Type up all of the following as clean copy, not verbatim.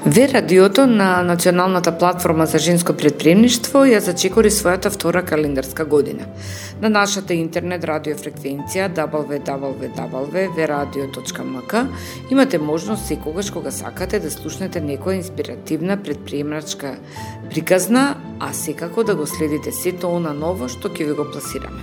Ве радиото на Националната платформа за женско претприемништво ја зачекори својата втора календарска година. На нашата интернет радиофреквенција www.veradio.mk имате можност секогаш кога сакате да слушнете некоја инспиративна претприемачка приказна, а секако да го следите сето она ново што ќе ви го пласираме.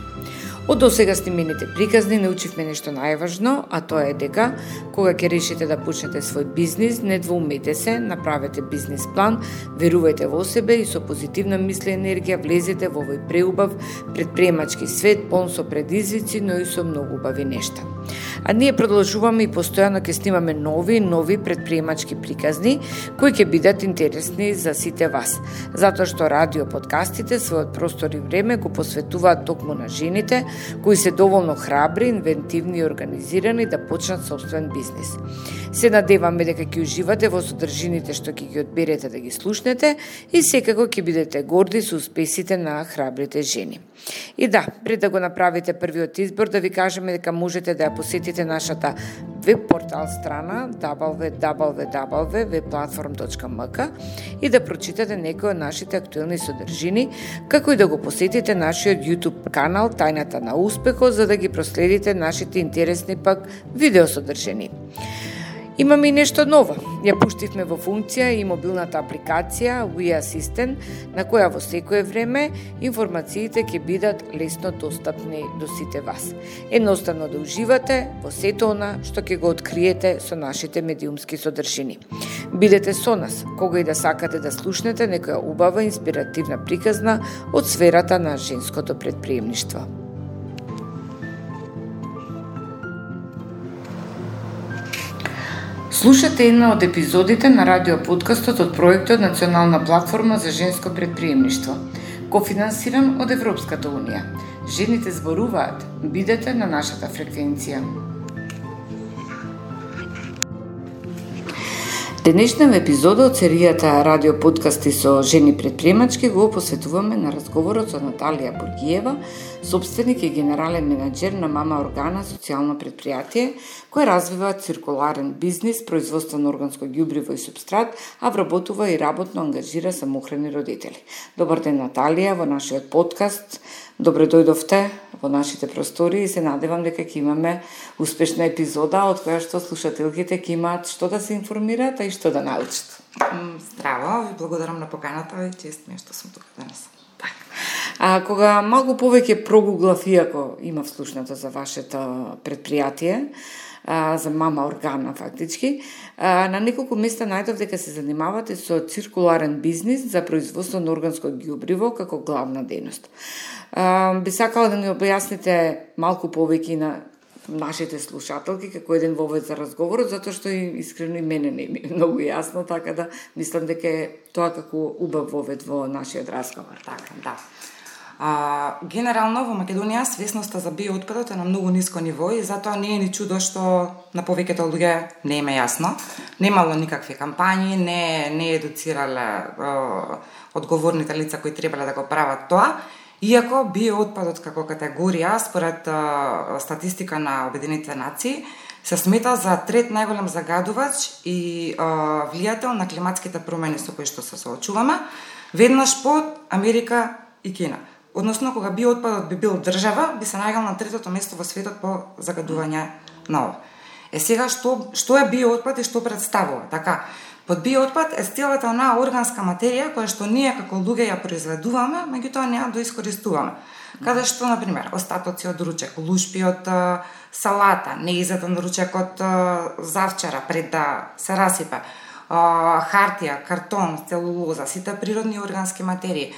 Од досега снимените приказни научивме нешто најважно, а тоа е дека кога ќе решите да почнете свој бизнис, не двоумете се, направете бизнис план, верувајте во себе и со позитивна мисла и енергија влезете во овој преубав претприемачки свет, полн со предизвици, но и со многу убави нешта. А ние продолжуваме и постојано ќе снимаме нови претприемачки приказни кои ќе бидат интересни за сите вас, затоа што радио подкастите својот простор и време го посветуваат токму на жените кои се доволно храбри, инвентивни и организирани да почнат сопствен бизнис. Се надеваме дека ќе уживате во содржините што ќе ги одберете да ги слушнете и секако ќе бидете горди со успесите на храбрите жени. И да, пред да го направите првиот избор, да ви кажеме дека можете да ја посетите нашата веб портал страна www.vplatform.mk и да прочитате некои од нашите актуелни содржини, како и да го посетите нашиот YouTube канал Тајната на успехот, за да ги проследите нашите интересни пак видеосодржини. Имаме и нешто ново. Ја пуштивме во функција и мобилната апликација We Assistant, на која во секое време информациите ќе бидат лесно достапни до сите вас. Едноставно да уживате во сето она што ќе го откриете со нашите медиумски содржини. Бидете со нас, кога и да сакате да слушнете некоја убава инспиративна приказна од сферата на женското претприемништво. Слушате една од епизодите на радиоподкастот од проектот Национална платформа за женско претприемништво, кофинансиран од Европската унија. Жените зборуваат, бидете на нашата фреквенција. Денешна епизода од серијата радиоподкасти со жени претприемачки го посветуваме на разговорот со Наталија Бургиева, собственик и генерален менаџер на Мама Органа социјално предпријатие, кој развива циркуларен бизнис, производство на органско ѓубриво и супстрат, а вработува и работно ангажира самохрани родители. Добар ден, Наталија, во нашиот подкаст. Добре дојдовте во нашите простори и се надевам дека ќе имаме успешна епизода од која што слушателките ќе имаат што да се информираат, а и што да научат. Здраво, ви благодарам на поканата и чест ми што сум тука денес. А кога малку повеќе прогуглав, иако имав слушнато за вашето предпријатие, за Мама Органа фактички, на неколку места најдов дека се занимавате со циркуларен бизнис за производство на органско ѓубриво како главна дејност. Би сакала да ни објасните малку повеќе на нашите слушателки како еден вовед за разговорот, затоа што искрено и мене не ми е многу јасно, така да мислам дека е тоа како убав вовед во нашиот разговор. Така, да. Генерално во Македонија свесноста за биоотпадот е на многу ниско ниво и затоа не е ни чудо што на повеќето луѓе не им е јасно. Немало никакви кампањи, не едуцирале одговорните лица кои требале да го прават тоа. Иако биоотпадот како категорија, според статистика на Обединетите нации, се смета за трет најголем загадувач и влијател на климатските промени со кои што се соочуваме, веднаш под Америка и Кина. Односно, кога биоотпадот би бил држава, би се најгал на третото место во светот по загадување на ова. Сега, што е биоотпад и што представува? Така, под биоотпад е целата онаа органска материја која што ние како луѓе ја произведуваме, меѓутоа не ја доискористуваме. Каде што, например, остатоци од ручек, лушпи од салата, неизеден ручек од завчара пред да се расипе, хартија, картон, целулоза, сите природни органски материи,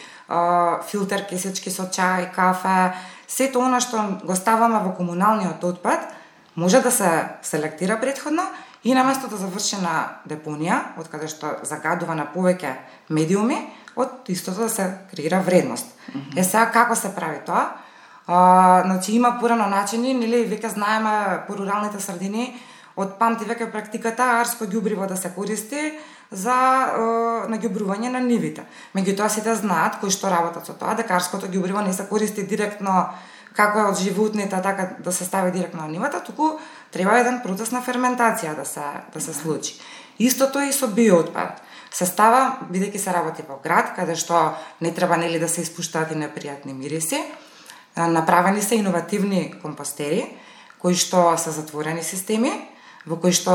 филтер кисечки со чај, кафе, сето она што го ставаме во комуналниот отпад, може да се селектира претходно и наместо да заврши на депонија, од каде што загадува на повеќе медиуми, од истото да се креира вредност. Сега како се прави тоа? Значи има порано начини, нели веќе знаеме по руралните средини, од памти веќе практиката арско ѓубриво да се користи за наѓубрување на нивите. Меѓутоа сите знаат кои што работат со тоа дека арското ѓубриво не се користи директно како е од животните, така да се стави директно на нивата, туку треба еден процес на ферментација да се случи. Истото е и со биоотпад. се става бидејќи се работи во град каде што не треба нели да се испуштаат и непријатни мириси. Направени се иновативни компостери кои што се затворени системи во кои што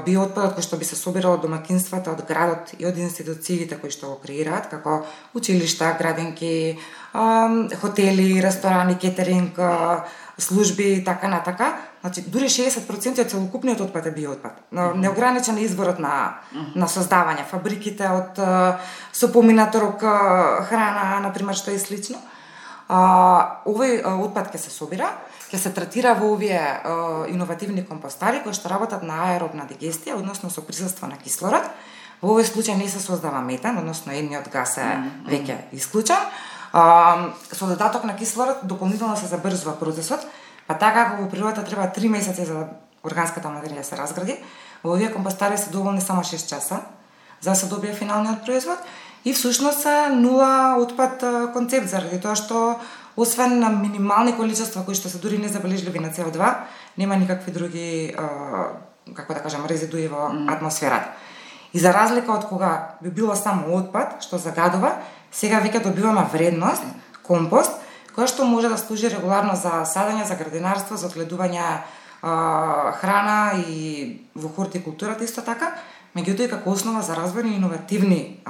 биоотпадот кој што би се собирал од домакинствата, од градот и од институциите кои што го креираат, како училишта, градинки, хотели, ресторани, кетеринг, служби и така натака. Значи, дури 60% од целокупниот отпад е биоотпад. Неограничен е изворот на создавање. Фабриките од со помината рок храна, например, што е слично. Овој отпад ќе се собира, ќе се третира во овие иновативни компостари кои што работат на аеробна дигестија, односно со присуство на кислород. Во овој случај не се создава метан, односно едниот гас е веќе исклучен. Со додаток на кислород дополнително се забрзува процесот, па така како во природата треба 3 месеци за органската материја да се разгради, во овие компостари се доволни само 6 часа за да се добие финалниот производ. И всушност е нула отпад концепт, заради тоа што освен на минимални количества кои што се дури незабележливи на CO2, нема никакви други, како да кажам, резидуи во атмосферата. И за разлика од кога би било само отпад, што загадува, сега веќе добиваме вредност, компост, која што може да служи регуларно за садење, за градинарство, за одгледување храна и во хортикултурата исто така, меѓутоа и како основа за развој на иновативни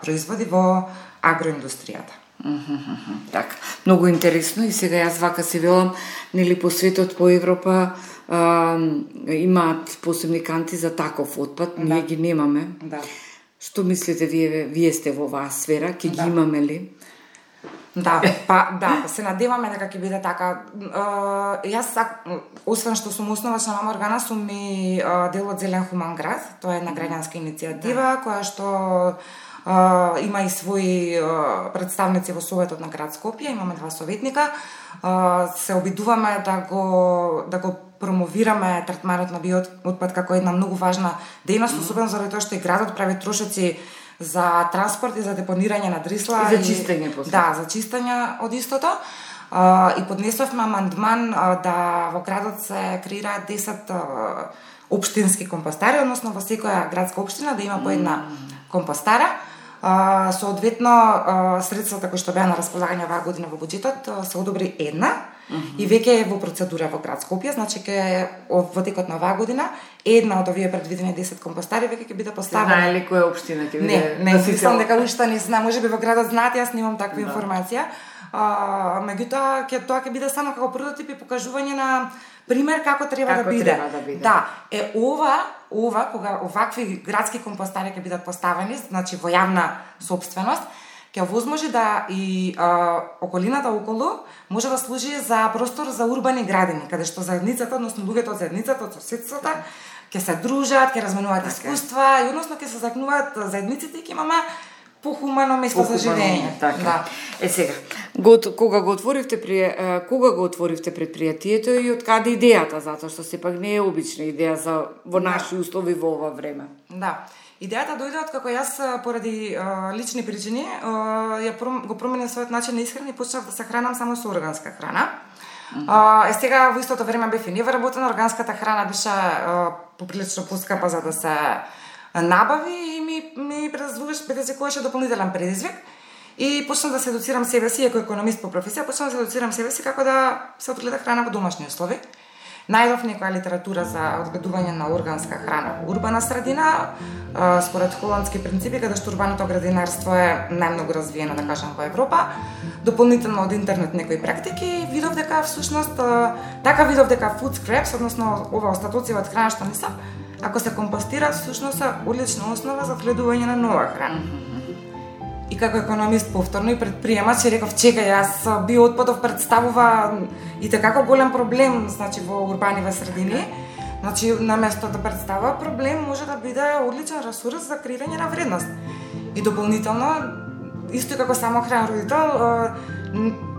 производи во агроиндустријата. Така, многу интересно и сега јас вака си велам, нели по светот, по Европа имаат посебни канти за таков отпад, ние ги немаме. Да. Што мислите вие сте во оваа сфера, ќе ги имаме ли? Да, се надеваме дека ќе биде така. Јас, освен што сум основачна мама органа, сум и дел од Зелен хуман град. Тоа е една граѓанска иницијатива која што има и своји представници во Советот на град Скопје, имаме 2 советника. Се обидуваме да го промовираме третманот на биоотпад како една многу важна дејност, особено заради тоа што и градот прави трошоци за транспорт и за депонирање на дрисла и за чистење после. Да, за чистење од истото. И поднесовме амандман да во градот се креираат 10 општински компостари, односно во секоја градска општина да има по една компостара. Соодветно средствата кои што беа на располагање оваа година во буџетот се одобри една и веќе е во процедура во град Скопје, значи ке во текот на оваа година една од овие предвидени 10 компостари веќе ќе биде поставена. Знае ли која општина ќе биде? Не, мислам дека уште не знам, можеби во градот знаат, јас немам таква информација. Меѓутоа тоа ќе биде само како прототип и покажување на пример како треба да биде. Да, ова кога овакви градски компостари ќе бидат поставени, значи во јавна собственост, ќе возможи да и околината околу може да служи за простор за урбани градини, каде што заедницата, односно луѓето од заедницата, од соседството, ќе се дружат, ќе разменуваат искуства и односно ќе се закнуваат заедниците и ќе имаме похумано место за живење. Така. Да. Сега, кога го отворивте предпријатието и од каде идејата, затоа што сепак не е обична идеја во наши услови во ова време? Да. Идејата дојде од како јас поради лични причини го променив својот начин на исхрана и почнав да се хранам само со органска храна. Сега во истото време бев и невработена, органската храна беше поприлично поскапа за да се набави и ми предизвикуваше дополнителен предизвик. И почнав да се едуцирам себе си, како економист по професија, почнав да се едуцирам себе си како да се одгледа храна во домашни услови. Најдов некоја литература за одгледување на органска храна во урбана средина, според холандски принципи, каде што урбаното градинарство е најмногу развиено, да кажам, во Европа. Дополнително од интернет некои практики, видов дека всушност food scraps, односно ова остатоци од храна што не се, ако се компостира, всушност е одлична основа за одгледување на нова храна. И како економист повторно и предприемач, реков, чекај, јас биоотпадов представува и како голем проблем, значи во урбаниве средини. Значи, наместо да представува проблем, може да биде одличен ресурс за креирање на вредност. И дополнително, исто како самохранен родител,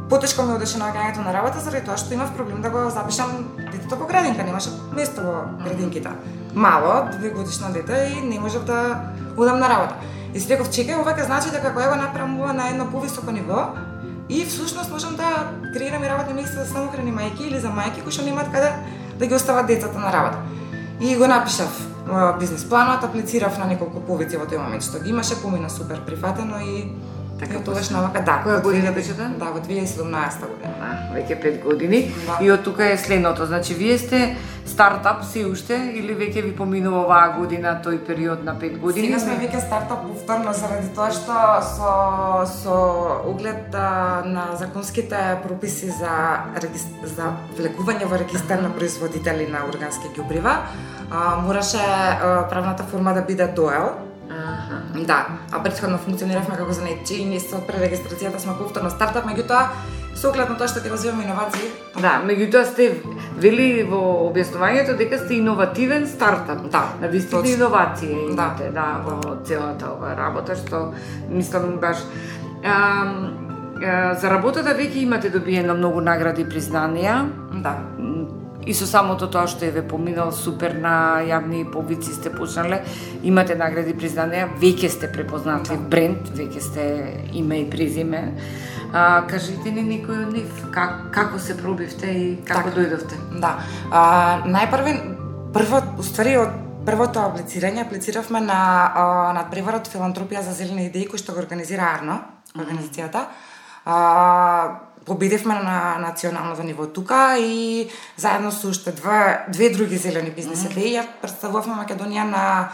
потешко ми одеше наоѓањето на работа заради тоа што имав проблем да го запишам детето во градинка, немаше место во градинките. Мало, 2-годишно дете и не можев да одам на работа. И си реков, чекај, ова ќе значи дека кога ја го направам ова на едно повисоко ниво и всушност можам да креирам и работни места за самохрани мајки или за мајки кои што немаат каде да ги остават децата на работа. И го напишав бизнис планот, аплицирав на неколку повици во тој момент што ги имаше, помина супер прифатено и Така тогаш навака, да. Која година беше тоа? Да, во 2017 година. Веќе 5 години. Да. И од тука е следното, значи вие сте стартап се уште или веќе ви поминува оваа година тој период на 5 години? Сега сме веќе стартап повторно заради тоа што со оглед на законските прописи за влегување во регистар на производители на органски ѓубрива, мораше правната форма да биде ДОЕЛ. Да, а претходно функциониравме како занаетчи и ние со пререгистрацијата сме повторно стартап, меѓутоа со оглед на тоа што ќе развиваме иновации. Да, меѓутоа сте вели во објаснувањето дека сте иновативен стартап. Да, на вистина иновации имате, да, во целата оваа работа, што мислам баш за работата веќе имате добиено многу награди и признанија. Да. И со самото тоа што е ве поминал супер на јавни повици сте почнале, имате награди и признанија, веќе сте препознатлив бренд, веќе сте име и презиме. Кажете ни некој од нив, како се пробивте и како дојдовте? Да. Уствари од првото аплициравме на надпреварот Филантропија за зелени идеи кој што го организира Арно, организацијата. Победивме на националното ниво тука и заедно со уште две други зелени бизнес идеи ја представувавме Македонија на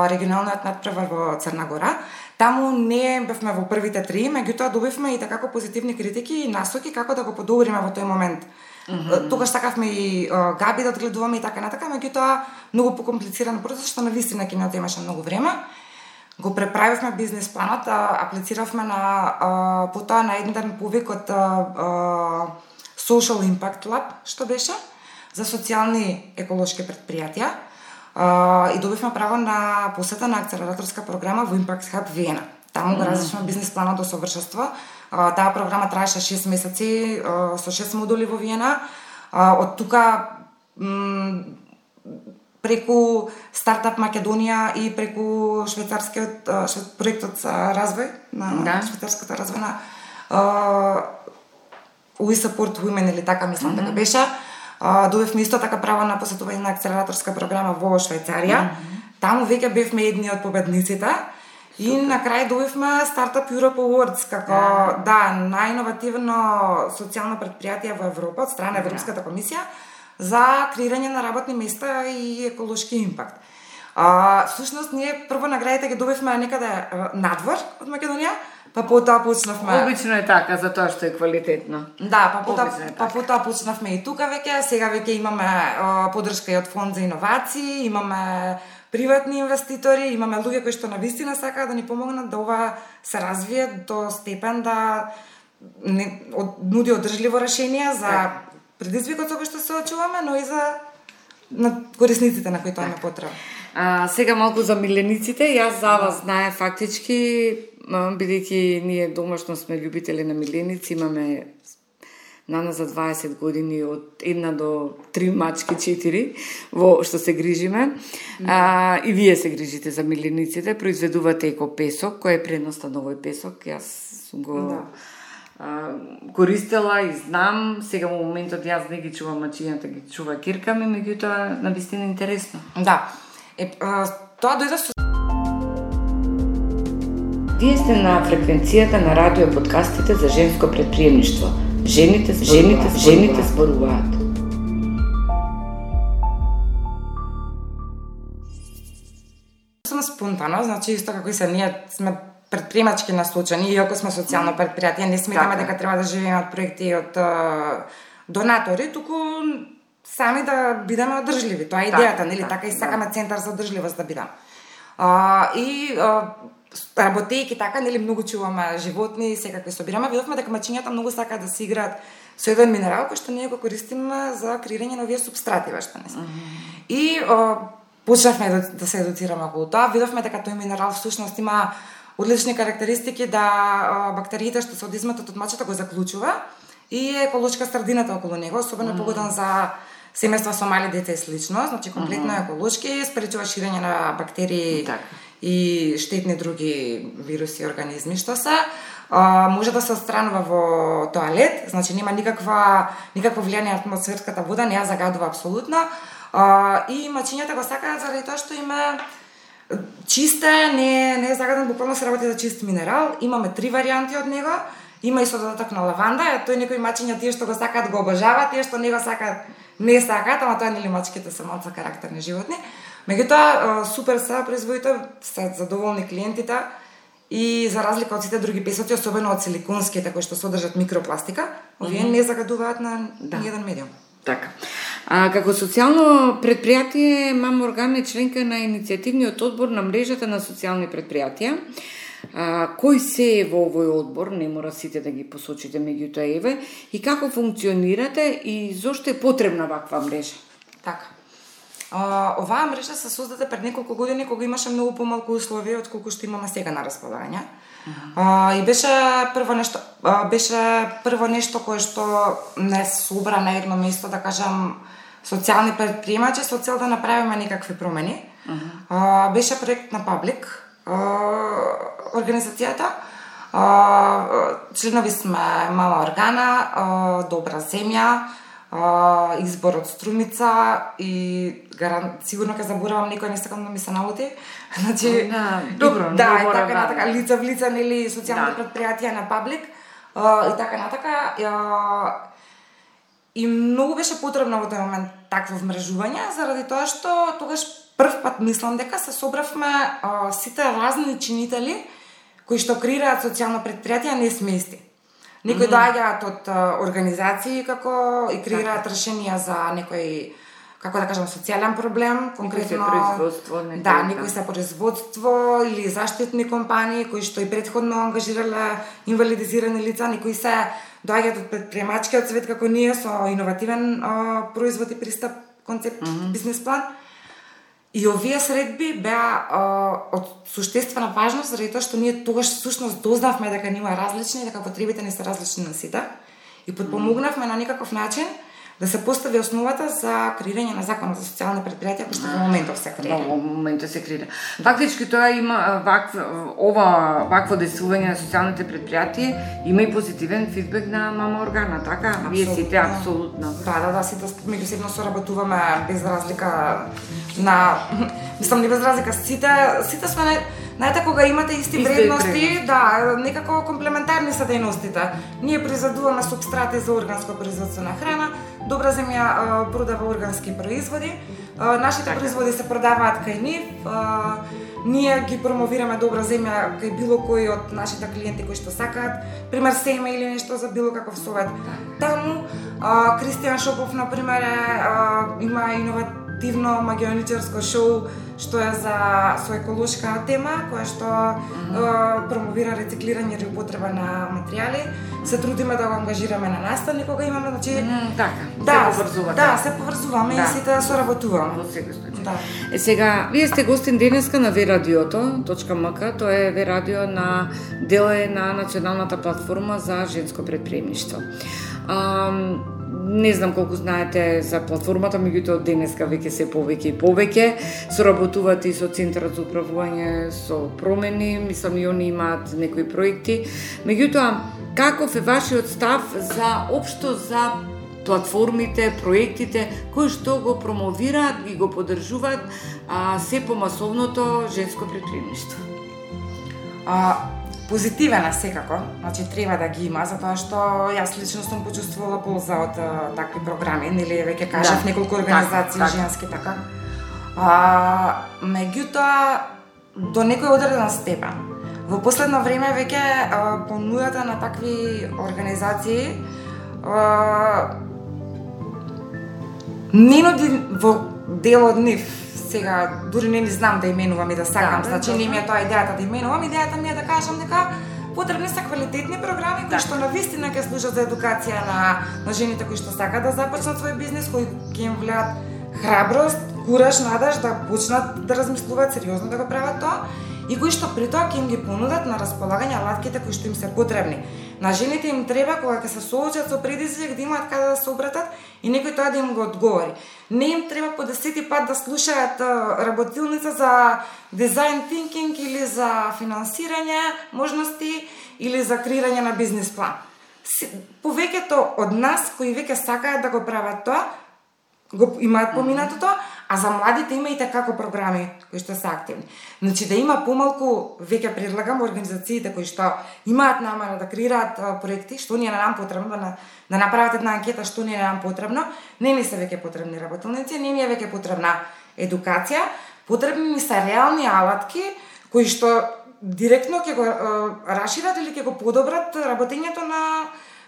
регионалниот надпревар во Црна Гора. Таму не бевме во првите 3, меѓутоа добивме и такако позитивни критики и насоки како да го подобриме во тој момент. Тогаш сакавме и габи да одгледуваме и така натака, меѓутоа многу покомплициран процес што навистина ќе ни отемаше многу време. Го преправивме бизнес планот, аплициравме на потоа на еден повик од Social Impact Lab, што беше за социјални еколошки предпријатија. И добивме право на посета на акцелераторска програма во Impact Hub Виена. Таму го разрешивме бизнес планот до совршенство. Таа програма траеше 6 месеци со 6 модули во Виена. Од тука преку Стартап Македонија и преку швајцарскиот проектот за развој на швајцарската развојна We Support Women или така мислам дека беше. Добивме исто така право на посетување на акцелераторска програма во Швајцарија. Таму веќе бевме едни од победниците. И на крај добивме Startup Europe Awards како најиновативно социјално предпријатие во Европа од страна на Европската комисија за креирање на работни места и еколошки импакт. Всушност ние прво наградите ги добивме некаде надвор од Македонија, па потоа почнавме. Обично е така за тоа што е квалитетно. Да, па потоа почнавме и тука веќе, сега веќе имаме поддршка и од фонд за иновации, имаме приватни инвеститори, имаме луѓе кои што навистина сакаат да ни помогнат да ова се развие до степен да нуди одржливо решение за предизвикот со кој што се очуваме, но и за корисниците на кои тоа ме потреба. Сега малку за милениците, јас за вас знае фактички, бидејќи ние домашно сме љубители на миленици, имаме нана за 20 години од 1 до 3 мачки, 4 во што се грижиме. И вие се грижите за милениците, произведувате екопесок, кој е пренос на овој песок. Јас сум го користела и знам, сега во моментот јас не ги чувам мачињата, ги чува кирка ми, меѓутоа навистина интересно. Да. Тоа дојде со... Вие сте на фреквенцијата на радио подкастите за женско предприемништво. Жените зборуваат. Сум спонтано, значи исто како и се ние сме предприемачки насочени, иако сме социјално предпријатие, не сметаме дека треба да живееме од проекти од донатори, туку сами да бидеме одржливи. Тоа е идејата, нели? Така и сакаме центар за одржливост да бидам. Работејќи така, нели, многу чуваме животни, секакви собираме, видовме дека мачињата многу сакаат да се играат со еден минерал кој што ние го користиме за креирање на овие супстрати, што не се. И почнавме да се едуцираме околу тоа, видовме дека тој минерал всушност има одлични карактеристики да бактериите што се од изметот од мачата го заклучува и е еколошка средината околу него, особено погоден за семејства со мали деца и слично, значи комплетно еколошки, спречува ширење на бактерии и штетни други вируси и организми што се. Може да се отстранува во тоалет, значи нема никакво влијание на атмосферската вода, не ја загадува апсолутно. И мачињата го сакаат заради тоа што има чисте, не е загаден, буквално се работи за чист минерал. Имаме 3 варијанти од него. Има и со додаток на лаванда, тој некои мачиња тие што го сакаат го обожаваат, тие што не го сакаат не сакаат, ама тоа нели мачките се малку карактерни животни. Меѓутоа супер се производите, се задоволни клиентите и за разлика од сите други песоти, особено од силиконските кои што содржат микропластика, овие не загадуваат на ниеден медиум. Така. Како социјално предпријатие, Мама Орган е членка на иницијативниот одбор на мрежата на социјални предпријатија. Кој се е во овој одбор, не мора сите да ги посочите, меѓутоа еве, и како функционирате и зошто е потребна ваква мрежа? Така. Оваа мрежа се создаде пред неколку години кога имаше многу помалку услови од колку што имаме сега на располагање. И беше прво нешто кое што не собра на едно место, да кажам, социјални предприемачи со цел да направиме некакви промени. Беше проект на Паблик, организацијата. Членови сме Мама Органа, Добра земја, Избор од Струмица и сигурно ќе заборавам некој, не сакам да ми се налути. Значи, добро, и така натака, лица в лица, нели, социјални предпријатија на Паблик и така натака. И многу беше потребно во тој момент такво вмрежување, заради тоа што тогаш прв пат мислам дека се собравме сите разни чинители кои што креираат социјално предпријатие, не сме исти. Некои доаѓаат од организации како и креираат решенија за некој, како да кажам, социјален проблем, конкретно производство, некои се производство или заштитни компании кои што и претходно ангажирале инвалидизирани лица, некои се доаѓаат од предприемачкиот свет како ние со иновативен производ и пристап, концепт, бизнес план. И овие средби беа од суштествена важност, заради тоа што ние тогаш всушност дознавме дека има различни, дека потребите не се различни на сите и подпомогнавме на некаков начин да се постави основата за креирање на закон за социјални предпријатија кој што во моментов се креира. Во моментот се креира. Фактички тоа има вакво действување на социјалните предпријатија, има и позитивен фидбек на Мама Органа, така? Вие сите апсолутно. Да, сите меѓусебно соработуваме без разлика на не без разлика, сите сме знаете кога имате исти вредности, некако комплементарни се дејностите. Ние произведуваме супстрати за органско производство на храна, Добра земја продава органски производи, нашите производи се продаваат кај нив, ние ги промовираме Добра земја кај било кој од нашите клиенти кои што сакаат, пример семе или нешто за било каков совет. Таму Кристијан Шопов, например, има иновативно магионичарско шоу што е со еколошка тема, која што промовира рециклирање или употреба на материјали. Се трудиме да го ангажираме на наставник кога имаме, значи се поврзуваме и сите соработуваме. Во секој случај. Сега, вие сте гостин денеска на veradioto.mk, тоа е Верадио на дел на националната платформа за женско предприемништво. Не знам колку знаете за платформата, меѓутоа од денеска веќе се повеќе и повеќе соработуваат и со Центарот за управување со промени, мислам и они имаат некои проекти. Меѓутоа, каков е вашиот став за општо за платформите, проектите кои што го промовираат, ги го поддржуваат се помасовното женско предприемништво? Позитивен е секако, значи треба да ги има, затоа што јас лично сум почувствувала полза од такви програми, нели веќе кажав неколку организации женски така. Меѓутоа до некој одреден степен. Во последно време веќе понудата на такви организации не нуди во дел од нив. Сега дури не знам да именувам и да сакам, значи не ми е тоа идејата да именувам, идејата ми е да кажам дека потребни се квалитетни програми кои што навистина ќе служат за едукација на жените кои што сакаат да започнат свој бизнес, кои ќе им влеат храброст, кураж, надеж да почнат да размислуваат сериозно да го прават тоа и кои што при тоа ќе им ги понудат на располагање алатките кои што им се потребни. На жените им треба кога ќе се соочат со предизвик да имаат каде да се обратат и некој тоа да им го одговори. Не им треба по 10 пат да слушаат работилница за дизајн тинкинг или за финансирање можности или за креирање на бизнес план. Повеќето од нас кои веќе сакаат да го прават тоа, го имаат поминатото, а за младите има и како програми кои што се активни. Значи да има помалку, веќе предлагам организациите кои што имаат намера да креираат проекти, што ни е нам потребно, да направат една анкета што ни е нам потребно, не ни се веќе потребни работилници, не ни е веќе потребна едукација, потребни ни се реални алатки кои што директно ќе го расшират или ќе го подобрат работењето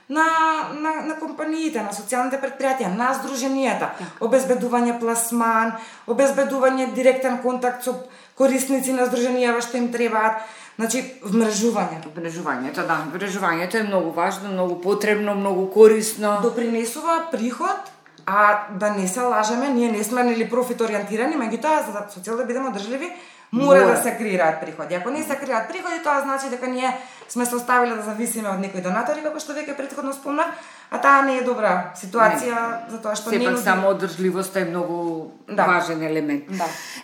на компаниите, на социјалните предпријатија, на здруженијата, обезбедување пласман, обезбедување директен контакт со корисници на здруженија што им требаат, значи вмрежување. Вмрежувањето е многу важно, многу потребно, многу корисно. Допринесува приход, а да не се лажеме, ние не сме нели профит ориентирани, меѓутоа за со цел да бидеме одржливи, мора да се креираат приходи. Ако не се креираат приходи, тоа значи дека ние сме се оставиле да зависиме од некои донатори, како што веќе претходно спомнав, а таа не е добра ситуација, затоа што сепак само одржливоста е многу важен елемент.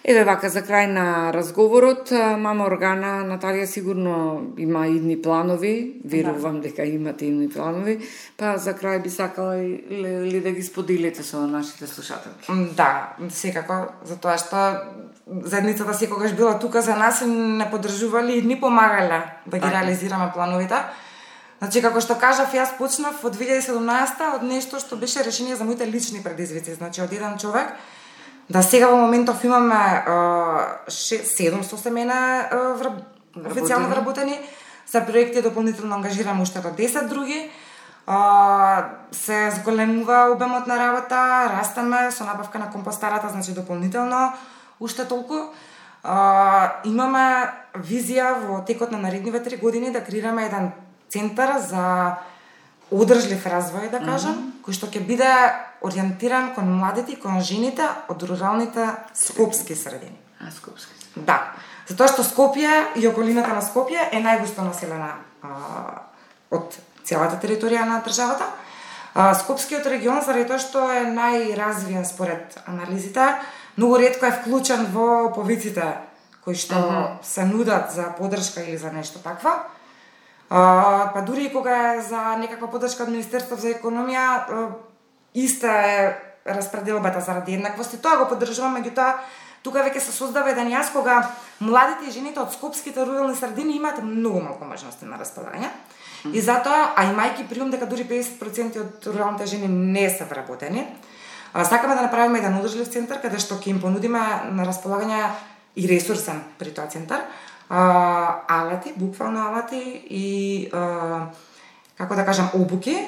Еве вака за крај на разговорот, мама Органа, Наталија сигурно има идни планови, верувам дека имате идни планови, па за крај би сакала ли да ги споделите со нашите слушателки? Да, секако, затоа што заедницата секогаш била тука за нас и не поддржували и ни помагале да ги реализираме плановите. Значи, како што кажав, јас почнав од 2017 од нешто што беше решение за моите лични предизвици. Значи, од еден човек, да сега во моментов имаме 700 семена официјално вработени, за проекти дополнително ангажираме уште до 10 други. Се зголемува обемот на работа, растеме со набавка на компостарата, значи дополнително уште толку. Имаме визија во текот на наредниве 3 години да креираме еден центар за одржлив развој, да кажам, кој што ќе биде ориентиран кон младите и кон жените од руралните скопски средини. Скопски. Да, затоа што Скопје и околината на Скопје е најгусто населена од целата територија на државата. Скопскиот регион, заради тоа што е најразвиен според анализите, многу ретко е вклучен во повиците кои што се нудат за поддршка или за нешто таква. Па дури и кога е за некаква поддршка од Министерството за економија, иста е распределбата заради еднаквости. Тоа го поддржуваме, меѓутоа тука веќе се создава еден јас кога младите и жените од скопските рурални средини имаат многу малку можности на располагање. И затоа, а имајќи приум дека дури 50% од руралните жени не се вработени, сакаме да направиме еден одржлив центар каде што ќе им понудиме на располагање и ресурсен при тоа центар, алати, буквално алати и како да кажам обуки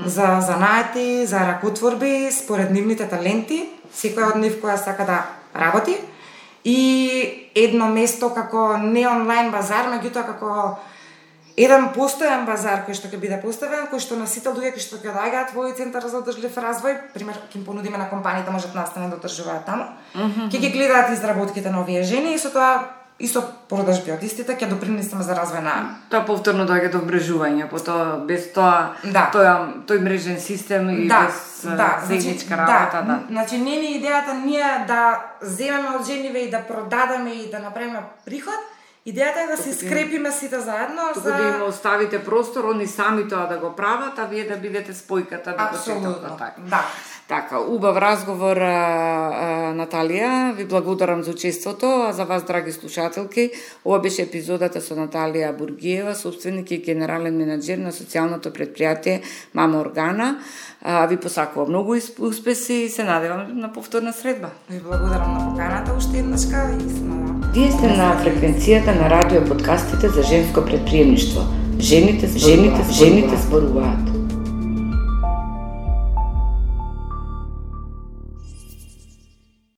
за занаати, за ракотворби според нивните таленти, секој од нив која сака да работи, и едно место како не онлайн базар, меѓутоа како еден постојан базар кој што ќе биде поставен, кој што на сите луѓе кои што ќе доаѓаат во овој центар за одржлив развој, пример ќе им понудиме на компаниите можат настане да одржуваат таму, ќе ги гледаат изработките на овие жени и со тоа и со продажби од истите ќе допринесеме за развој на тоа повторно доаѓа до вмрежување, потоа без тоа тој мрежен систем и без заедничка работа, Значи не ни идејата ние да земеме од жениве и да продадеме и да направиме приход. Идејата е да се скрепиме сите заедно за да им оставите простор, они сами тоа да го прават, а вие да бидете спојката да го четат. Да. Така, убав разговор, Наталија, ви благодарам за учеството, а за вас, драги слушателки, ова беше епизодата со Наталија Бургиева, собственик и генерален менаџер на социјалното предпријатие Мама Органа. Ви посакувам многу успеси и се надевам на повторна средба. Ви благодарам на поканата уште еднашка и се надевам. Вие сте на фреквенцијата на радио подкастите за женско предприемништво. Жените зборуваат.